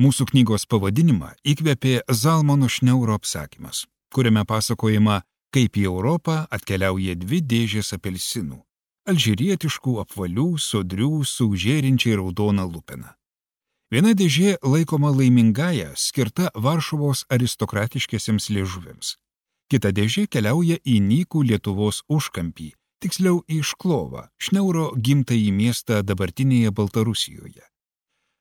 Mūsų knygos pavadinimą įkvėpė Zalmano Šneuro apsakymas, kuriame pasakojama, kaip į Europą atkeliauja 2 dėžės apelsinų – alžyrietiškų, apvalių, sodrių, su žėrinčiai raudona lupena. Viena dėžė laikoma laimingaja, skirta Varšuvos aristokratiškiesiems liežuviams. Kita dėžė keliauja į nykų Lietuvos užkampį, tiksliau į Šklovą, Šneuro gimtąjį miestą dabartinėje Baltarusijoje.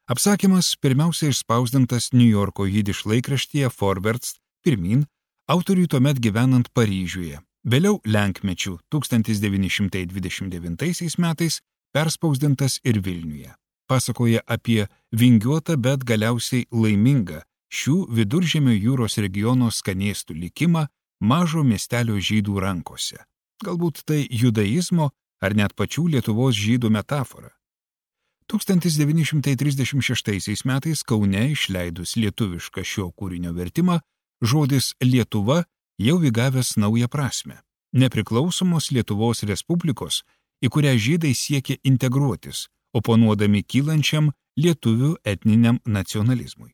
Apsakymas pirmiausia išspausdintas Niujorko jidiš laikraštyje Forwärts pirmyn, autoriui tuomet gyvenant Paryžiuje, vėliau lenkmečių 1929 metais perspausdintas ir Vilniuje. Pasakoja apie vingiuotą, bet galiausiai laimingą šių Viduržemio jūros regiono skanėstų likimą mažo miestelio žydų rankose. Galbūt tai judaizmo ar net pačių Lietuvos žydų metafora. 1936 metais Kaune išleidus lietuvišką šio kūrinio vertimą, žodis Lietuva jau įgavęs naują prasme – nepriklausomos Lietuvos Respublikos, į kurią žydai siekia integruotis, oponuodami kylančiam lietuvių etniniam nacionalizmui.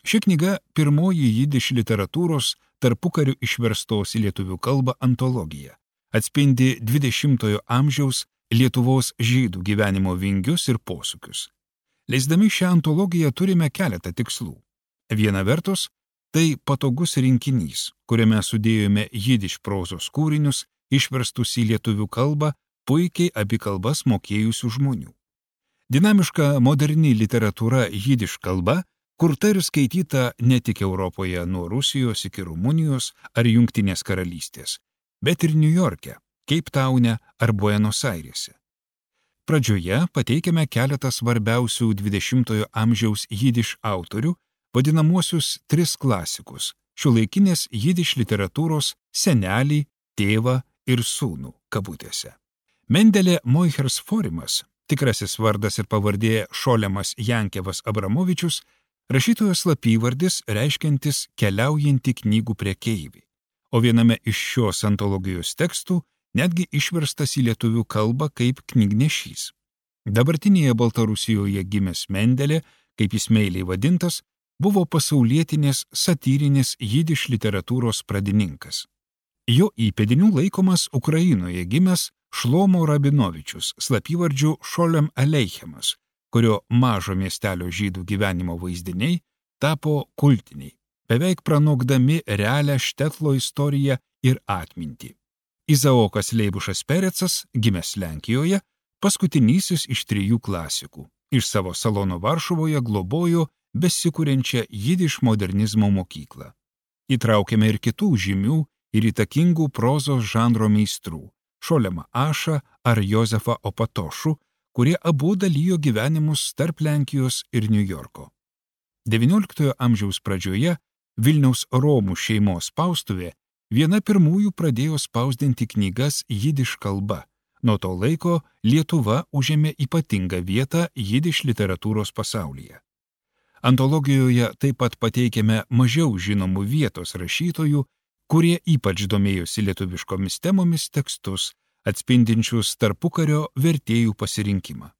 Ši knyga pirmoji jidiš literatūros tarpukariu išverstos į lietuvių kalbą antologija, atspindi 20-ojo amžiaus Lietuvos žydų gyvenimo vingius ir posūkius. Leisdami šią antologiją turime keletą tikslų. Viena vertus, tai patogus rinkinys, kuriame sudėjome jidiš prozos kūrinius, išverstus į lietuvių kalbą, puikiai abi kalbas mokėjusių žmonių. Dinamiška moderni literatūra jidiš kalba, kurta ir skaityta ne tik Europoje nuo Rusijos iki Rumunijos ar Jungtinės karalystės, bet ir Niujorke, Keiptaune ar Buenos Airėse. Pradžioje pateikiame keletą svarbiausių 20-ojo amžiaus jidiš autorių, vadinamuosius 3 klasikus – šiuolaikinės jidiš literatūros senelį, tėvą ir sūnų kabutėse. Mendelė Moichers Forimas, tikrasis vardas ir pavardė Šolemas Jankevas Abramovičius, rašytojo slapyvardis reiškiantis keliaujantį knygų prekeivį, o viename iš šios antologijos tekstų netgi išverstas į lietuvių kalbą kaip knygnešys. Dabartinėje Baltarusijoje gimęs Mendelė, kaip jis meiliai vadintas, buvo pasaulietinės satyrinės jidiš literatūros pradininkas. Jo įpėdiniu laikomas Ukrainoje gimęs Šlomo Rabinovičius, slapyvardžiu Šolem Aleichemas, kurio mažo miestelio žydų gyvenimo vaizdiniai tapo kultiniai, beveik pranokdami realią Štetlo istoriją ir atmintį. Izaokas Leibušas Perecas, gimęs Lenkijoje, paskutinysis iš 3 klasikų. Iš savo salono Varšuvoje globojo besikuriančią jidiš modernizmo mokyklą. Įtraukėme ir kitų žymių ir įtakingų prozos žanro meistrų – Šolemą Ašą ar Jozefą Opatošų, kurie abu dalijo gyvenimus tarp Lenkijos ir Niujorko. XIX amžiaus pradžioje Vilniaus Romų šeimos spaustuvė viena pirmųjų pradėjo spausdinti knygas jidiš kalba. Nuo to laiko Lietuva užėmė ypatingą vietą jidiš literatūros pasaulyje. Antologijoje taip pat pateikėme mažiau žinomų vietos rašytojų, kurie ypač domėjosi lietuviškomis temomis tekstus, atspindinčius tarpukario vertėjų pasirinkimą.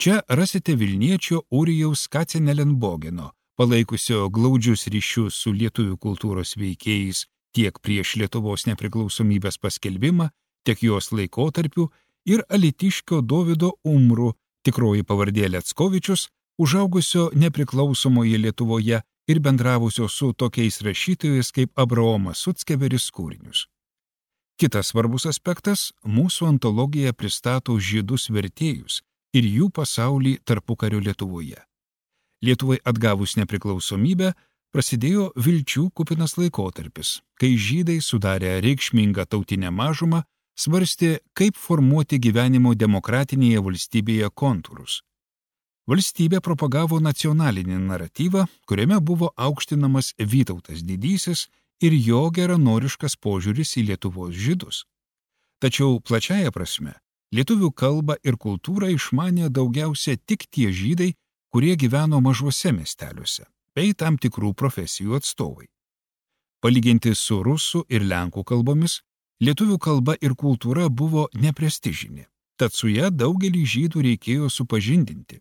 Čia rasite vilniečio Urijaus Kacenelenbogeno, palaikusio glaudžius ryšius su lietuvių kultūros veikėjais tiek prieš Lietuvos nepriklausomybės paskelbimą, tiek jos laikotarpiu, ir alytiškio Dovydo Umrų, tikroji pavardė Leckovičius, užaugusio nepriklausomoje Lietuvoje ir bendravusio su tokiais rašytojais kaip Abraomas Suckeveris kūrinius. Kitas svarbus aspektas – mūsų antologija pristato žydus vertėjus ir jų pasaulį tarpukario Lietuvoje. Lietuvai atgavus nepriklausomybę, prasidėjo vilčių kupinas laikotarpis, kai žydai sudarę reikšmingą tautinę mažumą svarstė, kaip formuoti gyvenimo demokratinėje valstybėje kontūrus. Valstybė propagavo nacionalinį naratyvą, kuriame buvo aukštinamas Vytautas Didysis ir jo geranoriškas požiūris į Lietuvos žydus. Tačiau plačiaja prasme, lietuvių kalbą ir kultūrą išmanė daugiausia tik tie žydai, kurie gyveno mažuose miesteliuose, bei tam tikrų profesijų atstovai. Palyginti su rusų ir lenkų kalbomis, lietuvių kalba ir kultūra buvo neprestižinė, tad su ja daugelį žydų reikėjo supažindinti.